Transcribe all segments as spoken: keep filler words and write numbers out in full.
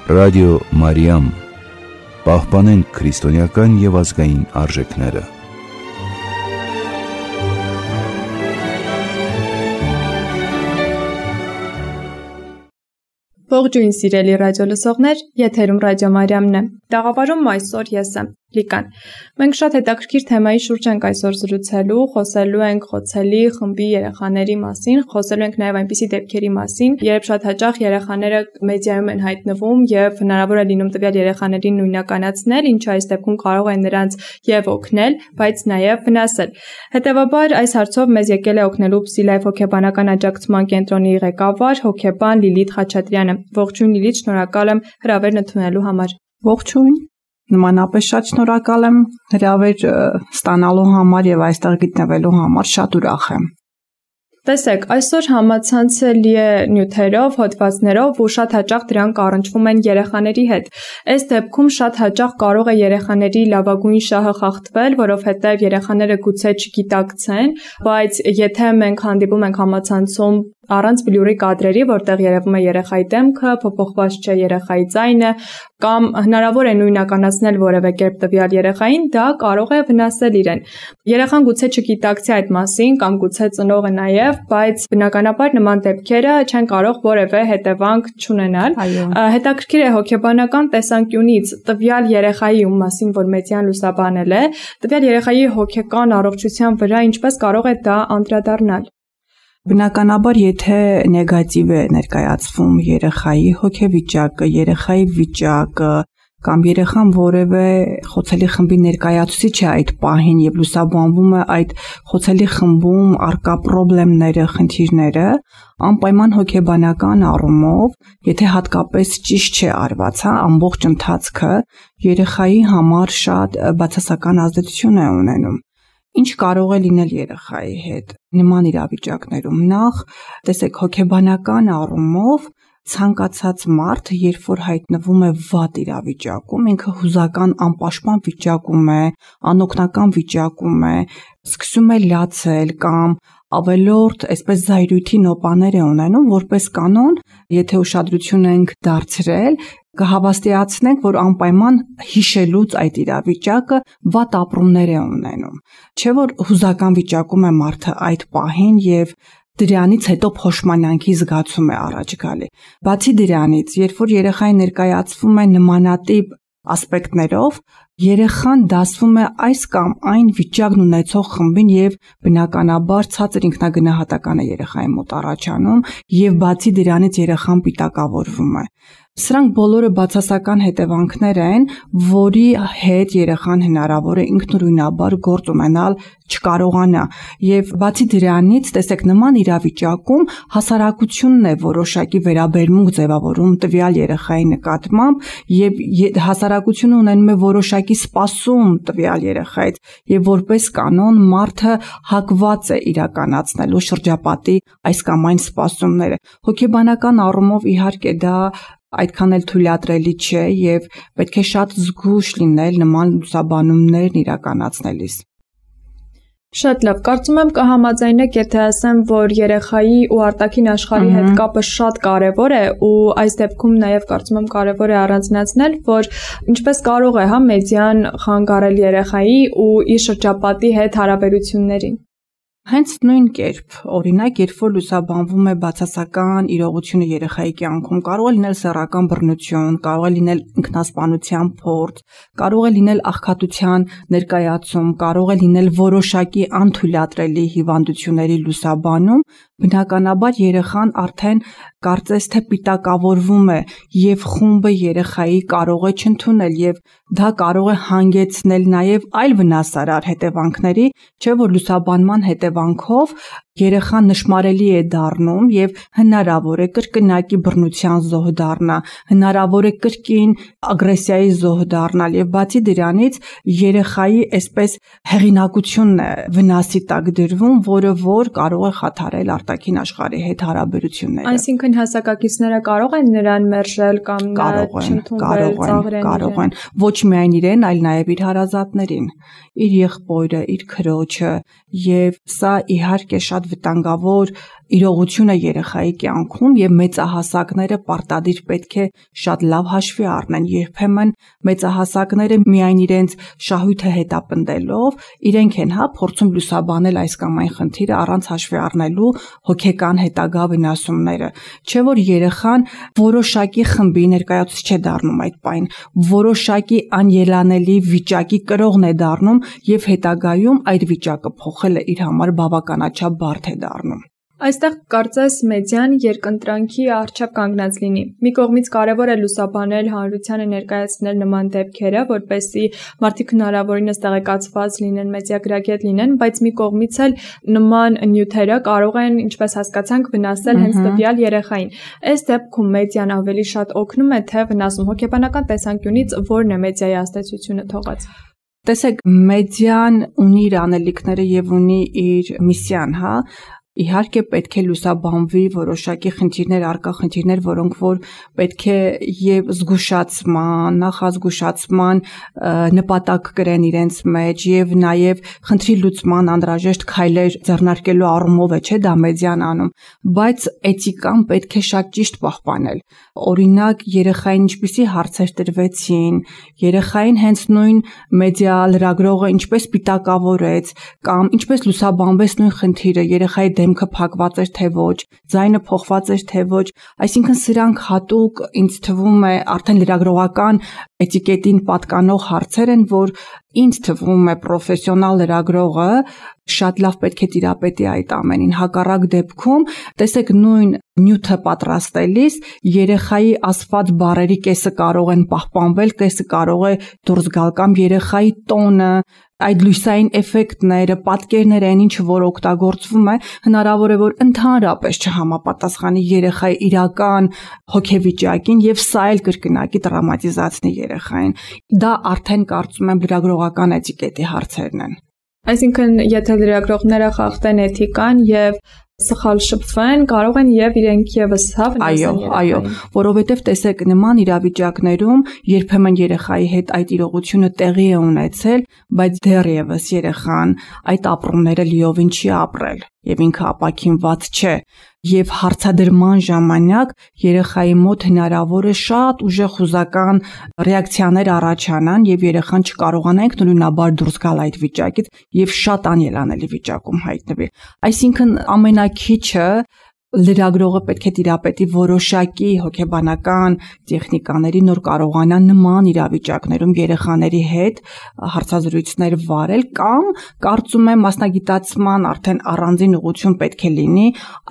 Ռադիո Մարիամ, պահպանենք քրիստոնեական և ազգային արժեքները։ Ողջույն սիրելի ռադիո լսողներ, եթերում Ռադիո Մարիամն է։ Տաղավարում այսօր ես եմ, Լիկան։ Մենք շատ հետաքրքիր թեմայի շուրջ ենք այսօր զրուցելու, խոսելու ենք խոցելի խմբի երեխաների մասին, խոսելու ենք նաև այնպիսի դեպքերի մասին, երբ շատ հաճախ երեխաները մեդիայում են հայտնվում եւ հնարավոր է լինում տվյալ երեխաներին նույնականացնել, ինչը այս դեպքում կարող է նրանց եւ օգնել, բայց նաև վնասել։ Հետևաբար այս հարցով մեզ եկել է օգնելու Փսիլայֆ հոգեբանական աջակցման կենտրոնի ղեկավար հոգեբան Լիլիթ Խաչատրյանը։ Ողջույն Լիլիթ, շնորհակալ եմ հրավերն ընդունելու համար։ Ողջույն, նմանապես շատ շնորհակալ եմ հրավեր ստանալու համար եւ այստեղ գտնվելու համար, շատ ուրախ եմ։ Տեսեք, այսօր համացանցը լի է նյութերով, հոդվածներով ու շատ հաճախ դրանք առնչվում են երեխաների հետ։ Այս դեպքում շատ հաճախ կարող է երեխաների լավագույն շահը խախտվել, որովհետև երեխաները գուցե չգիտակցեն, բայց եթե մենք հանդիպում ենք համացանցում առանց բլուրի կադրերի, որտեղ երևում է երեխայի դեմքը, փոփոխված չէ երեխայի ձայնը, կամ հնարավոր է նույնականացնել որևէ կերպ տվյալ երեխային, դա կարող է վնասել իրեն։ Երեխան գուցե չգիտակցի այդ մասին, կամ գուցե ծնողը նաև, բայց բնականաբար նման դեպքերը չեն կարող որևէ հետևանք չունենալ։ Հետաքրքիր է հոգեբանական տեսանկյունից տվյալ երեխայի, ում մասին որ մեդիան լուսաբանել է, տվյալ երեխայի հոգեկան առողջության վրա ինչպես կարող է դա անդրադառնալ։ Բնականաբար, եթե նեգատիվ է ներկայացվում երեխայի հոգեվիճակը, երեխայի վիճակը, կամ երեխան որևէ խոցելի խմբի ներկայացուցիչ է այդ պահին եւ լուսաբանվում է այդ խոցելի խմբում առկա խնդիրները, խնդիրները, անպայման հոգեբանական առումով, եթե հատկապես ճիշտ չէ արված, հա, ամբողջ ընթացքը երեխայի համար շատ բացասական ազդեցություն է ունենում։ Ինչ կարող է լինել երեխայի հետ նման իրավիճակներում։ Նախ, տեսեք, հոգեբանական առումով ցանկացած մարդ, երբ որ հայտնվում է վատ իրավիճակում, ինքը հուզական անպաշտպան վիճակում է, անօգնական վիճակում է, սկսում է լացել կամ ավելորդ այսպես զայրույթի նոպաներ է ունենում, որպես կանոն, եթե ուշադրություն ենք դարձրել, կհավաստիացնենք, որ անպայման հիշելուց այդ իրավիճակը վատ ապրումներ է ունենում։ Չէ՞ որ հուզական վիճակում է մարդը այդ պահին եւ դրանից հետո փոշմանանքի զգացում է առաջ գալի։ Բացի դրանից, երբ որ երեխային ներկայացվում է նմանատիպ ասպեկտներով, երեխան դասվում է այս կամ այն վիճակն ունեցող խմբին եւ բնականաբար ցածր ինքնագնահատական է երեխայի մոտ առաջանում եւ բացի դրանից երեխան պիտակավորվում է։ Սրանք բոլորը բացասական հետևանքներ են, որի հետ երեխան հնարավոր է ինքնուրույնաբար գործ ունենալ չկարողանա։ Եվ բացի դրանից, տեսեք, նման իրավիճակում հասարակությունն է որոշակի վերաբերմունք ձևավորում տվյալ երեխայի նկատմամբ եւ հասարակությունը ունենում է որոշակի սպասում տվյալ երեխայից եւ որպես կանոն մարդը հակված է իրականացնելու շրջապատի այս կամ այն սպասումները։ Հոգեբանական առումով իհարկե դա այդքան էլ թույլատրելի չէ եւ պետք է շատ զգույշ լինել նման լուսաբանումներն իրականացնելիս։ Շատ լավ, կարծում եմ կհամաձայնեք, եթե ասեմ, որ երեխայի ու արտաքին աշխարհի հետ կապը շատ կարևոր է ու այս դեպքում նաև կարծում եմ կարևոր է առանձնացնել, որ ինչպես կարող է, հա, մեդիան խանգարել երեխայի ու իր շրջապատի հետ հարաբերություններին։ Հենց նույն կերպ, օրինակ, երբ որ լուսաբանվում է բացասական իրողությունը երեխայի կյանքում, կարող է լինել սեռական բռնություն, կարող է լինել ինքնասպանության փորձ, կարող է լինել աղքատության ներկայացում, կարող է լինել որոշակի անթույլատրելի հիվանդությունների լուսաբանում, բնականաբար երեխան արդեն կարծես թե պիտակավորվում է եւ խումբը երեխայի կարող է չընդունել եւ դա կարող է հանգեցնել նաեւ այլ վնասարար հետևանքների, չէ՞ որ լուսաբանման հետևանքով երեխան նշմարելի է դառնում եւ հնարավոր է կրկնակի բռնության զոհ դառնա, հնարավոր է կրկին ագրեսիայի զոհ դառնալ եւ բացի դրանից երեխայի այսպես հեղինակությունն է վնասի տակ դրվում, որը որ կարող է խաթարել արտաքին աշխարհի հետ հարաբերությունները։ Այսինքն հասակակիցները կարող են նրան մերժել կամ չընդունվել ծաղրեն։ Կարող են, ոչ միայն իրեն, այլ նաեւ իր հարազատներին, իր եղբորը, իր քրոջը եւ սա իհարկե շատ շատ վտանգավոր իրողություն է երեխայի կյանքում եւ մեծահասակները պարտադիր պետք է շատ լավ հաշվի առնեն։ Երբեմն մեծահասակները միայն իրենց շահույթը հետապնդելով իրենք են հա փորձում լուսաբանել այս կամ այն խնդիրը առանց հաշվի առնելու հոգեկան հետագա վնասումները։ Չէ որ երեխան որոշակի խմբի ներկայացուցիչ չէ դառնում այդ պայն, որոշակի անելանելի վիճակի կրողն է դառնում եւ հետագայում այդ վիճակը փոխելը իր համար բավականաչափ բարդ է դառնում։ Այստեղ կարծես մեդիան երկընտրանքի առջև կանգնած լինի։ Մի կողմից կարևոր է լուսաբանել հանրությանը ներկայացնել նման դեպքերը, որպեսզի մարդիկ հնարավորինս տեղեկացված լինեն, մեդիագրագետ լինեն, բայց մի կողմից էլ նման նյութերը կարող են, ինչպես հասկացանք, վնասել հենց տվյալ երեխային։ Այս դեպքում մեդիան ավելի շատ օգնում է, թե վնասում։ Հոգեբանական տեսանկյունից ո՞րն է մեդիայի ազդեցությունը թողած։ Տեսեք, մեդիան ունի իր անելիքները եւ ունի իր միսիան, հա։ Իհարկե պետք է լուսաբանվի որոշակի խնդիրներ, արկա խնդիրներ, որոնք որ պետք է եւ զգուշացման, նախազգուշացման նպատակ կրեն իրենց մեջ եւ նաեւ խնդրի լուծման անհրաժեշտ քայլեր ձեռնարկելու առումով է, չէ՞, դա մեդիան անում, բայց էթիկան պետք է շատ ճիշտ պահպանել։ Օրինակ, երեխային ինչպիսի հարցեր տրվեցին, երեխային հենց նույն մեդիա լրագրողը ինչպես պիտակավորեց կամ ինչպես լուսաբանվեց նույն խնդիրը, երեխայի դեմքը փակված էր թե ոչ, ձայնը փոխված էր թե ոչ, այսինքն սրանք հատուկ ինձ թվում է արդեն լրագրողական էտիկետին պատկանող հարցեր են, որ ինձ թվում է պրոֆեսիոնալ լրագրողը շատ լավ պետք է տիրապետի այդ ամենին։ Հակառակ դեպքում, տեսեք, նույն նյութը պատրաստելիս երեխայի ասված բառերի կեսը կարող են պահպանվել, կեսը կարող է դուրս գալ կամ երեխայի տոնը, այդ լույսային էֆեկտները, պատկերները, այն ինչը որ օգտագործվում է, հնարավոր է որ ընդհանրապես չհամապատասխանի երեխայի իրական հոգեվիճակին եւ սա էլ կրկնակի տրավմատիզացնի երեխային։ Դա արդեն կարծում եմ լրագրողական էտիկետի հարցերն են։ Այսինքն, եթե լրագրողները խախտեն էթիկան եւ սխալ շփվեն, կարող են եւ իրենք եւս հա վնասեն երեխային։ Այո, այո, որովհետեւ տեսեք, նման իրավիճակներում երբեմն երեխայի հետ այդ իրողությունը տեղի է ունեցել, բայց դեռևս երեխան այդ ապրումները լիովին չի ապրել եւ ինքը ապաքինված չէ, եւ հարցադրման ժամանակ երեխայի մոտ հնարավոր է շատ ուժեղ խուզական ռեակցիաներ առաջանան եւ երեխան չկարողանա ինքնուրույնաբար դուրս գալ այդ վիճակից եւ շատ անելանելի վիճակում հայտնվի։ Այսինքն ամենակիչը լրագրողը պետք է տիրապետի որոշակի հոգեբանական տեխնիկաների, նոր կարողանա նման իրավիճակներում երեխաների հետ հարցազրույցներ վարել կամ կարծում եմ մասնագիտացման արդեն առանձին ուղղություն պետք է լինի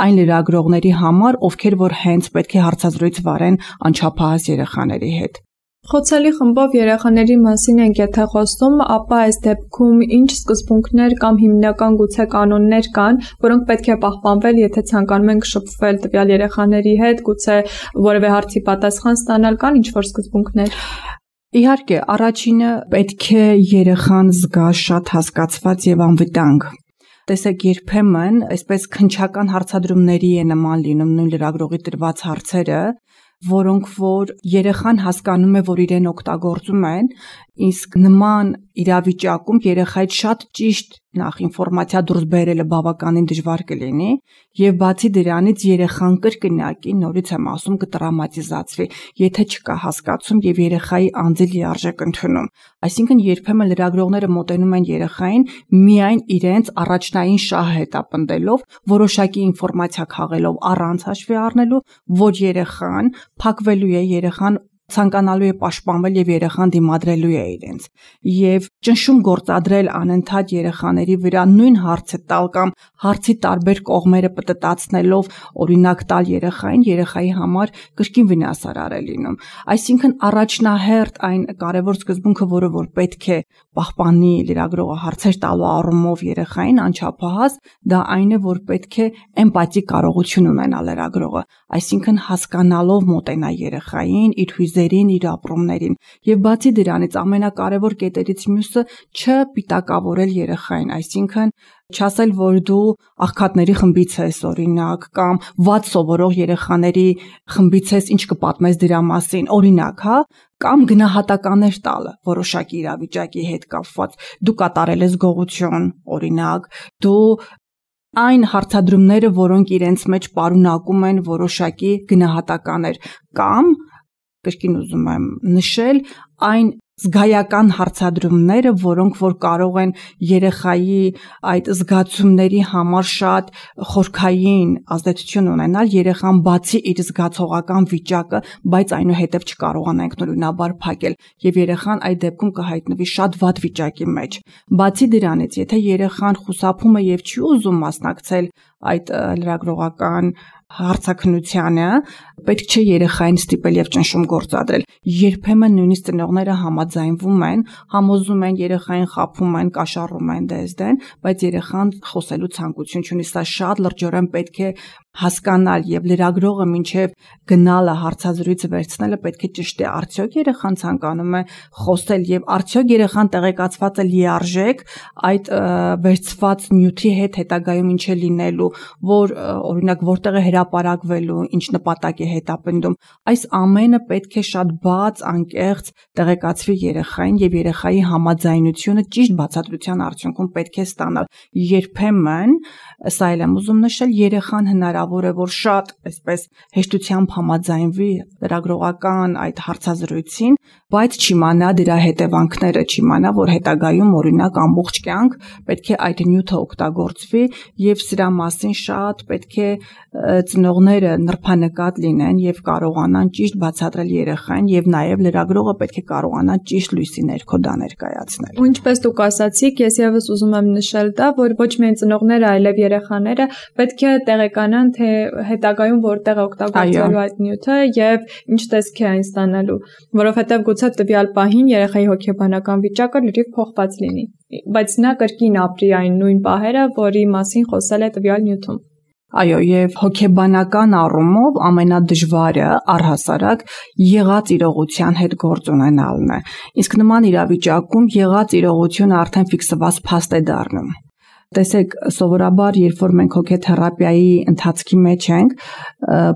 այն լրագրողների համար, ովքեր որ հենց պետք է հարցազրույց վարեն անչափահաս երեխաների հետ։ Խոցելի խմբով երեխաների մասին ենք եթե խոսում, ապա այս դեպքում ինչ սկզբունքներ կամ հիմնական գուցե կանոններ կան, որոնք պետք է պահպանվել, եթե ցանկանում ենք շփվել տվյալ երեխաների հետ, գուցե որևէ հարցի պատասխան ստանալ, կան ինչ-որ սկզբունքներ։ Իհարկե, առաջինը պետք է երեխան զգա շատ հասկացված եւ անվտանգ։ Տեսեք, երբեմն այսպես քնչական հարցադրումների է նման լինում նույն լրագրողի տրված հարցերը, որոնք որ երեխան հասկանում է, որ իրեն օգտագործում են, իսկ նման իրավիճակում երեխայից շատ ճիշտ նախ ինֆորմացիա դուրս բերելը բավականին դժվար կլինի եւ բացի դրանից երեխան կրկնակի նորից եմ ասում կտրավմատիզացվի, եթե չկա հասկացում եւ երեխայի անձի լիարժեք ընդունում։ Այսինքն երբեմն լրագրողները մոտենում են երեխային միայն իրենց առաջնային շահը հետապնդելով, որոշակի ինֆորմացիա քաղելով առանց հաշվի առնելու, որ երեխան փակվելու է, երեխան ցանկանալու է պաշտպանվել եւ երեխան դիմադրելու է իրենց եւ ճնշում գործադրել անընդհատ երեխաների վրա նույն հարցը տալ կամ հարցի տարբեր կողմերը պտտացնելով օրինակ տալ երեխային երեխայի համար կրկին վնասարար է լինում։ Այսինքն առաջնահերթ այն կարևոր սկզբունքը, որը որ պետք է պահպանի լրագրողը հարցեր տալու առումով երեխային անչափահաս, դա այն է, որ պետք է էմպաթի կարողություն ունենա լրագրողը, այսինքն հասկանալով մոտենա երեխային, իր հույզերին, իր ապրումներին եւ բացի դրանից ամենակարևոր կետերից մյուսը չպիտակավորել երեխային, այսինքն չասել, որ դու աղքատների խմբից ես օրինակ կամ վատ սովորող երեխաների խմբից ես, ինչ կպատմես դրա մասին, օրինակ, հա, կամ գնահատականներ տալը որոշակի իրավիճակի հետ կապված, դու կատարել ես գողություն, օրինակ, դու այն հարցադրումները, որոնք իրենց մեջ պարունակում են որոշակի գնահատականներ, կամ կրկին ուզում եմ նշել, այն զգայական հարցադրումները, որոնք որ կարող են երեխայի այդ զգացումների համար շատ խորքային ազդեցություն ունենալ, երեխան բացի իր զգացողական վիճակը, բայց այնուհետև չկարողանանք նորմալաբար փակել, եւ երեխան այդ դեպքում կհայտնվի շատ վատ վիճակի մեջ։ Բացի դրանից, եթե երեխան խուսափում է եւ չի ուզում մասնակցել այդ լրագրողական հարցաքննությանը, պետք չէ երեխային ստիպել եւ ճնշում գործադրել։ Երբեմն նույնիսկ ծնողները համաձայնվում են, համոզում են երեխային, խաբում են, կաշառում են դեսդեն, բայց երեխան խոսելու ցանկություն չունի։ Սա շատ լրջորեն պետք է հասկանալ եւ լրագրողը մինչեւ գնալը հարցազրույցը վերցնելը պետք է ճշտի, արդյոք երեխան ցանկանում է խոսել եւ արդյոք երեխան տեղեկացված է լիարժեք այդ վերցված նյութի հետ հետագայում ինչ է լինելու, որ օրինակ որտեղ է հրապարակվելու, ինչ նպատակ է հետապնդում։ Այս ամենը պետք է շատ բաց, անկեղծ տեղեկացվի երեխային եւ երեխայի համաձայնությունը ճիշտ բացատրության արդյունքում պետք է ստանալ։ Երբեմն, սա էլ եմ ուզում նշել, երեխան հնարավոր է որ շատ այսպես հեշտությամբ համաձայնվի լրագրողական այդ հարցազրույցին, բայց չիմանա դրա հետևանքները, չիմանա, որ հետագայում օրինակ ամբողջ կյանք պետք է այդ նյութը օգտագործվի եւ սրա մասին շատ պետք է ծնողները նրբանկատ լինեն եւ կարողանան ճիշտ բացատրել երեխային եւ նաեւ լրագրողը պետք է կարողանա ճիշտ լույսի ներքո դա ներկայացնել։ Ու ինչպես դուք ասացիք, ես եւս ուզում եմ նշել դա, որ ոչ միայն ծնողները, այլև երեխաները պետք է տեղեկանան, թե հետագայում որտեղ է օգտագործվելու այդ նյութը եւ ինչ տեսք է այն ստանալու, որովհետեւ գուցե տվյալ պահին երեխայի հոգեբանական վիճակը լրիվ փոխված լինի, բայց նա կրկին ապրի այն նույն պահերը, որի մասին խոսել է տվյալ նյութում։ Այո, եւ հոգեբանական առումով ամենադժվարը առհասարակ եղած իրողության հետ գործ ունենալն է։ Իսկ նման իրավիճակում եղած իրողությունը արդեն ֆիքսված փաստ է դառնում։ Տեսեք, սովորաբար, երբ որ մենք հոգեթերապիայի ընթացքի մեջ ենք,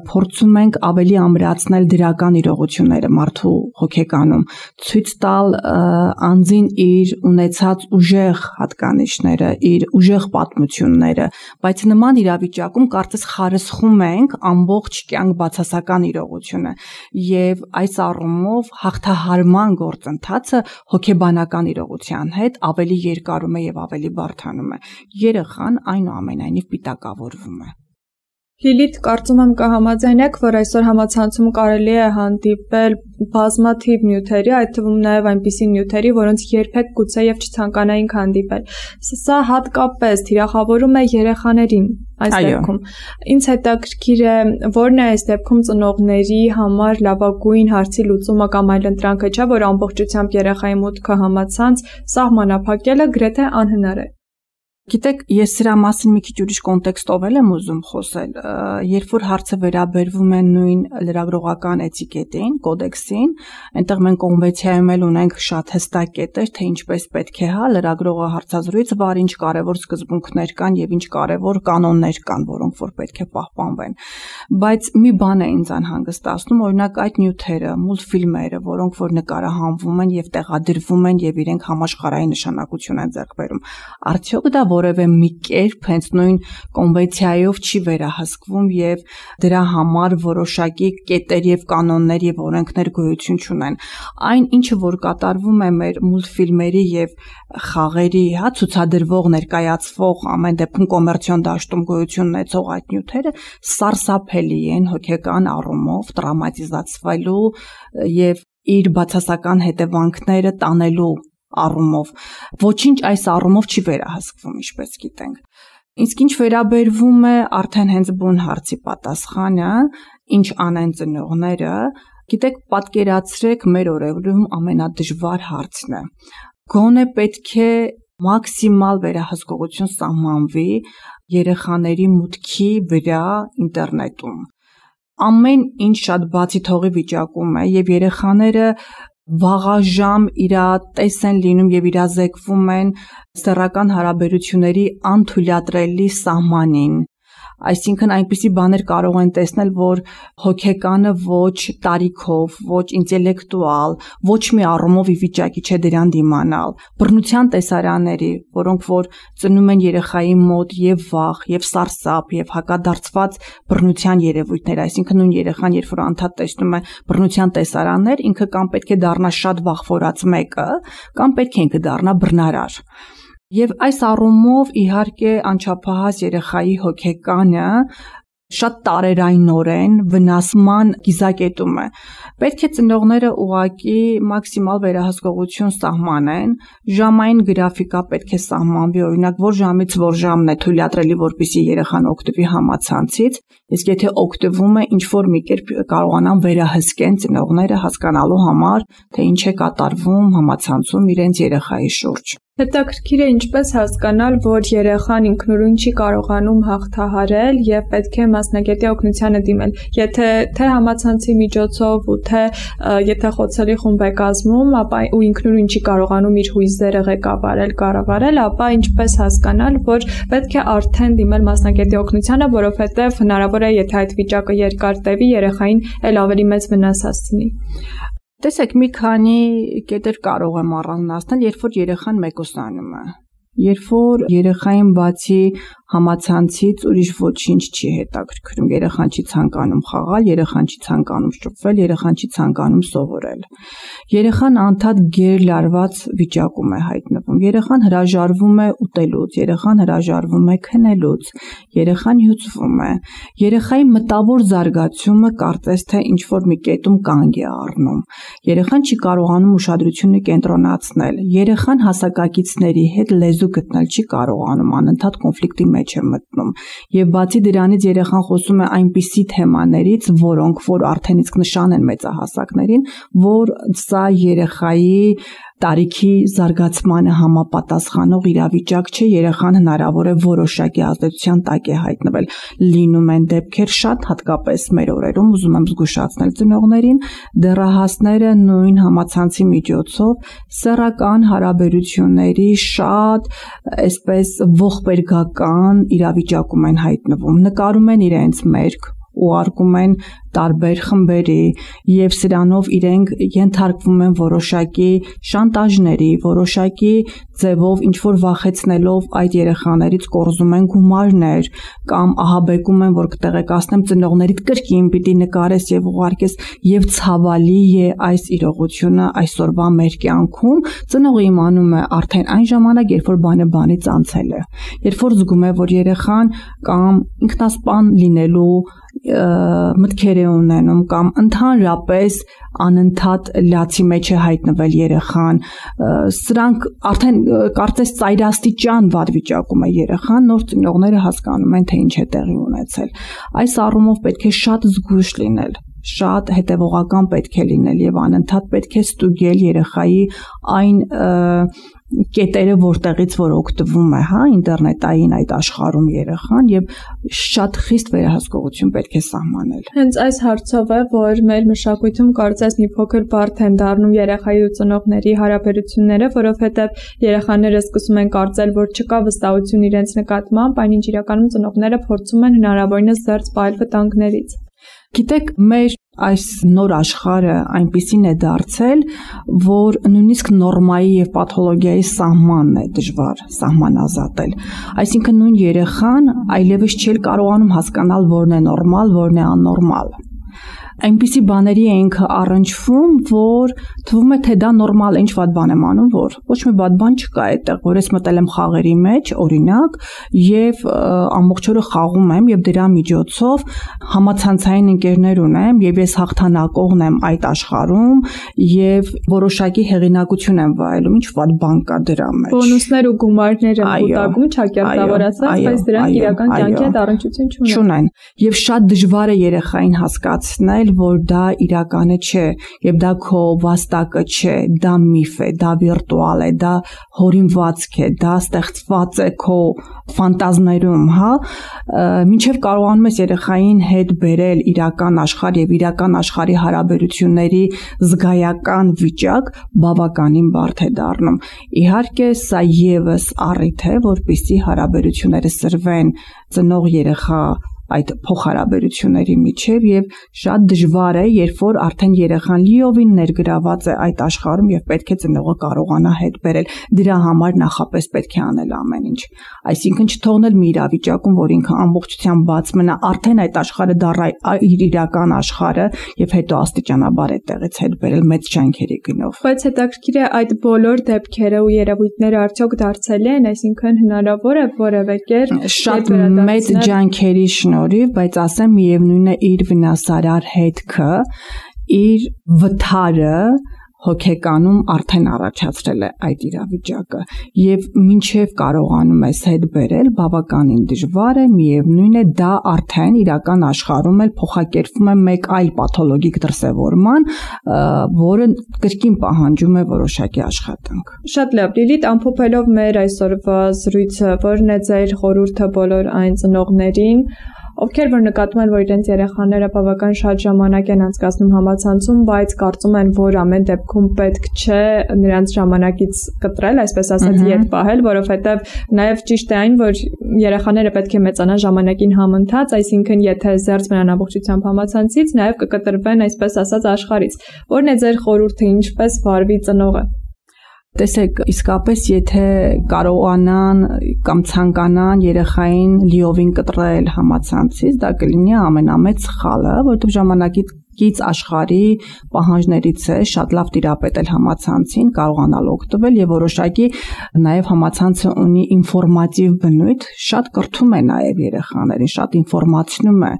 փորձում ենք ավելի ամրացնել դրական իրողությունները մարդու հոգեկանում, ցույց տալ անձին իր ունեցած ուժեղ հատկանիշները, իր ուժեղ պատմությունները, բայց նման իրավիճակում կարծես խարսխում ենք ամբողջ կյանք բացասական իրողությունը, եւ այս առումով հաղթահարման գործընթացը հոգեբանական իրողության հետ ավելի երկարում է եւ ավելի բարդանում է։ Երեխան այնուամենայնիվ պիտակավորվում է։ Լիլիթ, կարծում եմ կհամաձայնեք, որ այսօր համացանցում կարելի է հանդիպել բազմաթիվ նյութերի, այդ թվում նաև այնպիսի նյութերի, որոնց երբեք գուցե եւ չցանկանայինք հանդիպել։ Սա հատկապես թիրախավորում է երեխաներին այս դեպքում։ Ինձ հետաքրքիր է, որն է այս դեպքում ծնողների համար լավագույն հարցի լուծումը կամ այլընտրանքը, չէ՞ որ ամբողջությամբ երեխայի մուտքը համացանց սահմանափակելը գրեթե անհնար է։ Գիտեք, ես սրա մասին մի քիչ ուրիշ կոնտեքստով եմ ուզում խոսել, երբ որ հարցը վերաբերվում է նույն լրագրողական էթիկետին, կոդեքսին, այնտեղ մենք կոնվենցիայում էլ ունենք շատ հստակ կետեր, թե ինչպես պետք է հա լրագրողը հարցազրույց վարի, ինչ կարևոր սկզբունքներ կան եւ ինչ կարևոր կանոններ կան, որոնք որ պետք է պահպանվեն։ Բայց մի բան է ինձ անհանգստացնում, օրինակ այդ նյութերը, մուլտֆիլմերը, որոնք որ նկարահանվում են եւ տեղադրվում են եւ իրենք համաշխարհային նշանակություն են ձեռք բերում, արդյոք դա որևէ մի կերպ հենց նույն կոնվենցիայով չի վերահսկվում եւ դրա համար որոշակի կետեր եւ կանոններ եւ օրենքներ գոյություն չունեն։ Այն ինչը որ կատարվում է մեր մուլտֆիլմերի եւ խաղերի, հա, ցուցադրվող, ներկայացվող, ամեն դեպքում կոմերցիոն դաշտում գոյություն ունեցող այդ նյութերը սարսափելի են հոգեկան առումով, տրավմատիզացվելու եւ իր բացասական հետևանքները տանելու առումով, ոչինչ այս առումով չի վերահսկվում, ինչպես գիտենք։ Իսկ ինչ վերաբերվում է արդեն հենց բուն հարցի պատասխանը, ինչ անեն ծնողները, գիտեք, պատկերացրեք մեր օրերում ամենադժվար հարցն է։ Գոնե պետք է մաքսիմալ վերահսկողություն սահմանվի երեխաների մուտքի վրա ինտերնետում։ Ամեն ինչ շատ բացի թողի վիճակում է եւ երեխաները վաղաժամ իրատես են լինում եւ իրազեկվում են սեռական հարաբերությունների անթույլատրելի սահմանին, Այսինքն այնպիսի բաներ կարող են տեսնել, որ հոգեկանը ոչ տարիքով, ոչ ինտելեկտուալ, ոչ մի առումով ի վիճակի չէ դրան դիմանալ։ Բռնության տեսարանների, որոնք որ ծնում են երեխայի մոտ եւ վախ, եւ սարսափ, եւ հակադարձված բռնության երևույթներ, այսինքն նույն երեխան, երբ որ անդադ տեսնում է բռնության տեսարաններ, ինքը կամ պետք է դառնա շատ վախվորած մեկը, կամ պետք է ինքը դառնա բռնարար։ Եվ այս առումով իհարկե անչափահաս երեխայի հոգեկանը շատ տարերայնորեն վնասման գիզակետում է։ Պետք է ծնողները ուղղակի մաքսիմալ վերահսկողություն սահմանեն, ժամային գրաֆիկա պետք է սահմանվի, օրինակ որ ժամից որ ժամն է թույլատրելի, որպեսզի երեխան օգտվի համացանցից, իսկ եթե օգտվում է, ինչ որ մի կերպ կարողանան վերահսկեն ծնողները հասկանալու համար, թե ինչ է կատարվում համացանցում իրենց երեխայի շուրջ։ Հետաքրքիր է ինչպես հասկանալ, որ երեխան ինքնուրույն չի կարողանում հաղթահարել եւ պետք է մասնագետի օգնությանը դիմել։ Եթե թե համացանցի միջոցով ու թե եթե խոցելի խումբ է կազմում, ապա ու ինքնուրույն չի կարողանում իր հույզերը ղեկավարել, կառավարել, ապա ինչպես հասկանալ, որ պետք է արդեն դիմել մասնագետի օգնությանը, որովհետեւ հնարավոր է, եթե այդ վիճակը երկար տևի, երեխային էլ ավելի մեծ վնաս հասցնի։ Տեսեք, մի քանի կետեր կարող եմ առանձնացնել, երբ որ երեխան մեկուսանում է։ Երբ որ երեխային բացի համացանցից ուրիշ ոչինչ չի հետաքրքրում, երեխան չի ցանկանում խաղալ, երեխան չի ցանկանում շփվել, երեխան չի ցանկանում սովորել։ Երեխան անդադ գերլարված վիճակում է հայտնվում։ Երեխան հրաժարվում է ուտելուց, երեխան հրաժարվում է քնելուց, երեխան հյուծվում է։ Երեխայի մտավոր զարգացումը կարծես թե ինչ որ մի կետում կանգ է առնում։ Երեխան չի կարողանում ուշադրությունը կենտրոնացնել։ Երեխան հասակակիցների հետ լեզու գտնել չի կարողանում, անընդհատ կոնֆլիկտի մեջ է մտնում։ Եվ բացի դրանից երեխան խոսում է այնպիսի թեմաներից, որոնք որ արդեն իսկ նշան են մեծահասակներին, որ սա երեխայի տարիքի զարգացմանը համապատասխանող իրավիճակ չէ, երեխան հնարավոր է որոշակի ազդեցության տակ է հայտնվել։ Լինում են դեպքեր շատ, հատկապես մեր օրերում, ուզում եմ զգուշացնել ծնողներին, դեռահասները նույն համացանցի միջոցով սեռական հարաբերությունների շատ այսպես ողբերգական իրավիճակում են հայտնվում, նկարում են իրենց մերկ, ուղարկում են տարբեր խմբերի եւ սրանով իրենք ենթարկվում են որոշակի շանտաժների, որոշակի ձևով ինչ որ վախեցնելով այդ երեխաներից կորզում են գումարներ կամ ահաբեկում են, որ կտեղեկացնեմ ծնողներիդ կրկին պիտի նկարես եւ ուղարկես եւ ցավալի է այս իրողությունը այսօրվա մեր կյանքում ծնողը իմանում է արդեն այն ժամանակ, երբ որ բանը բանից անցել է, երբ որ զգում է, որ երեխան կամ ինքնասպան լինելու մտքեր է ունենում կամ ընդհանրապես անընդհատ լացի մեջ է հայտնվել երեխան, սրանք արդեն կարծես ծայրաստիճան վատ վիճակում է երեխան, նոր ծնողները հասկանում են, թե ինչ է տեղի ունեցել։ Այս առումով պետք է շատ զգույշ լինել, շատ հետևողական պետք է լինել եւ անընդհատ պետք է ստուգել երեխայի այն կետերը, որտեղից որ օգտվում է, հա, ինտերնետային այդ աշխարհում երեխան եւ շատ խիստ վերահսկողություն պետք է սահմանել։ Հենց այս հարցով է, որ մեր մշակույթում կարծես մի փոքր բարդ են դառնում երեխայի ու ծնողների հարաբերությունները, որովհետեւ երեխաները սկսում են կարծել, որ չկա վստահություն իրենց նկատմամբ, այնինչ իրականում ծնողները փորձում են հնարավորինս զերծ պահել վտանգներից։ Գիտեք, մեր այս նոր աշխարհը այնպիսին է դարձել, որ նույնիսկ նորմայի եւ պաթոլոգիայի սահմանն է դժվար սահմանազատել։ Այսինքն նույն երեխան այլևս չի կարողանում հասկանալ որն է նորմալ, որն է աննորմալ։ Այնպիսի բաների է ինքը առնչվում, որ թվում է, թե դա նորմալ է, ինչ վատ բան եմ անում, որ ոչ մի վատ բան չկա այդտեղ, որ ես մտել եմ խաղերի մեջ, օրինակ, եւ ամբողջ օրը խաղում եմ եւ դրա միջոցով համացանցային ընկերներ ունեմ եւ ես հաղթանակողն եմ այդ աշխարհում եւ որոշակի հեղինակություն եմ վայելում, ինչ վատ բան կա դրա մեջ։ Բոնուսներ ու գումարներ են կուտակում, չակերտավորացած, բայց դրանք իրական կյանքի հետ առնչություն չունեն։ Չունեն եւ շատ դժվար է երեխային հասկացնել հասկացնել, որ դա իրականը չէ, եւ դա քո վաստակը չէ, դա միֆ է, դա վիրտուալ է, դա հորինվածք է, դա ստեղծված է քո ֆանտազներում, հա, մինչեւ կարողանում ես երեխային հետ բերել իրական աշխարհ եւ իրական աշխարհի հարաբերությունների զգայական վիճակ, բավականին բարդ է դառնում։ Իհարկե, սա եւս առիթ է, որպեսզի հարաբերությունները սրվեն ծնող երեխա այդ փոխհարաբերությունների միջև եւ շատ դժվար է, երբ որ արդեն երեխան լիովին ներգրաված է այդ աշխարհում եւ պետք է ծնողը կարողանա հետ բերել։ Դրա համար նախապես պետք է անել ամեն ինչ։ Այսինքն չթողնել մի իրավիճակում, որ ինքը ամբողջությամբ բաց մնա, արդեն այդ աշխարհը դառա իր իրական աշխարհը եւ հետո աստիճանաբար այդտեղից հետ բերել մեծ ջանքերի գնով։ Բայց հետաքրքիր է այդ բոլոր դեպքերը ու երևույթները արդյոք դարձել են, այսինքն հնարավոր է որևէ կերպ շատ մեծ ջանքերի շնորհիվ, բայց ասեմ միևնույն է իր վնասարար հետքը, իր վթարը հոգեկանում արդեն առաջացրել է այդ իրավիճակը եւ մինչեւ կարողանում ես հետ բերել բավականին դժվար է, միևնույն է դա արդեն իրական աշխարհում էլ փոխակերպվում է մեկ այլ պաթոլոգիկ դրսևորման, որը կրկին պահանջում է որոշակի աշխատանք։ Շատ լավ, Լիլիթ, ամփոփելով մեր այսօրվա զրույցը, որն է ձեր խորհուրդը բոլոր այն ծնողներին, ովքեր որ նկատում են, որ իրենց երեխաները բավական շատ ժամանակ են անցկացնում համացանցում, բայց կարծում են, որ ամեն դեպքում պետք չէ նրանց ժամանակից կտրել, այսպես ասած, ետ պահել, որովհետև նաև ճիշտ է այն, որ երեխաները պետք է մեծանան ժամանակին համընթաց, այսինքն եթե զերծ մնան ամբողջությամբ համացանցից, նաև կկտրվեն, այսպես ասած, աշխարհից։ Որն է ձեր խորհուրդը, ինչպես վարվի ծնողը։ Տեսեք, իսկապես եթե կարողանան կամ ցանկանան երեխային լիովին կտրել համացանցից, դա կլինի ամենամեծ սխալը, որովհետև ժամանակից աշխարհի պահանջներից է շատ լավ տիրապետել համացանցին, կարողանալ օգտվել եւ որոշակի նաեւ համացանցը ունի ինֆորմատիվ բնույթ, շատ կրթում է նաեւ երեխաներին, շատ ինֆորմացիոն է,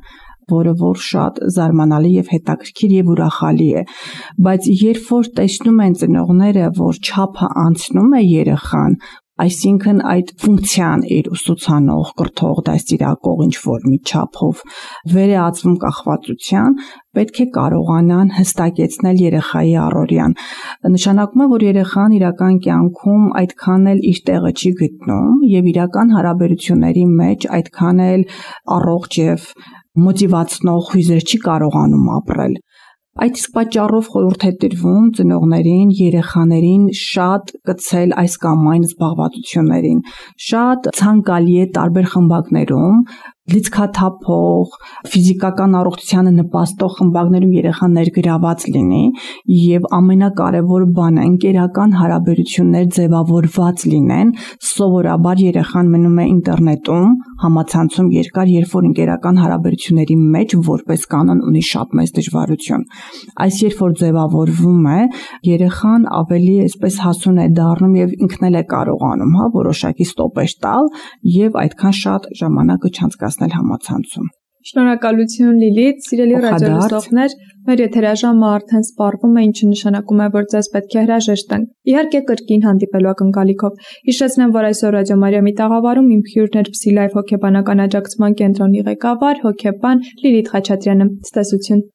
որը որ շատ զարմանալի եւ հետաքրքիր եւ ուրախալի է, բայց երբ որ տեսնում են ծնողները, որ չափը անցնում է երեխան, այսինքն այդ ֆունկցիան իր ուսուցանող, կրթող, դաստիարակող ինչ որ մի չափով վերածվում կախվածության, պետք է կարողանան հստակեցնել երեխայի առօրյան։ Նշանակում է, որ երեխան իրական կյանքում այդքան էլ իր տեղը չի գտնում եւ իրական հարաբերությունների մեջ այդքան էլ առողջ եւ մոտիվացնող հույզեր չի կարողանում ապրել։ Այդ իսկ պատճառով խորհուրդ է տրվում ծնողներին, երեխաներին շատ կցել այս կամ այն զբաղվածություններին։ Շատ ցանկալի է տարբեր խմբակներում լիցքաթափող, ֆիզիկական առողջությանը նպաստող խմբակներում երեխան ներգրաված լինի եւ ամենակարևոր բանը ընկերական հարաբերություններ ձևավորված լինեն, սովորաբար երեխան մնում է ինտերնետում, համացանցում երկար, երբ որ ընկերական հարաբերությունների մեջ որպես կանոն ունի շատ մեծ դժվարություն։ Այս երբ որ ձևավորվում է, երեխան ավելի այսպես հասուն է դառնում եւ ինքն էլ է կարողանում, հա, որոշակի ստոպեր տալ եւ այդքան շատ ժամանակը չանցկացնել համացանցում։ Շնորհակալություն Լիլիթ, սիրելի ռադիոլսողներ, մեր եթերաժամը արդեն սպառվում է, ինչը նշանակում է, որ ձեզ պետք է հրաժեշտ տանք։ Իհարկե կրկին հանդիպելու ակնկալիքով։ Հիշեցնեմ, որ այսօր Ռադիո Մարիամի տաղավարում իմ հյուրն էր Փսիլայֆ հոգեբանական աջակցման կենտրոնի ղեկավար, հոգեբան Լիլիթ Խաչատրյանը։ Ցտեսություն։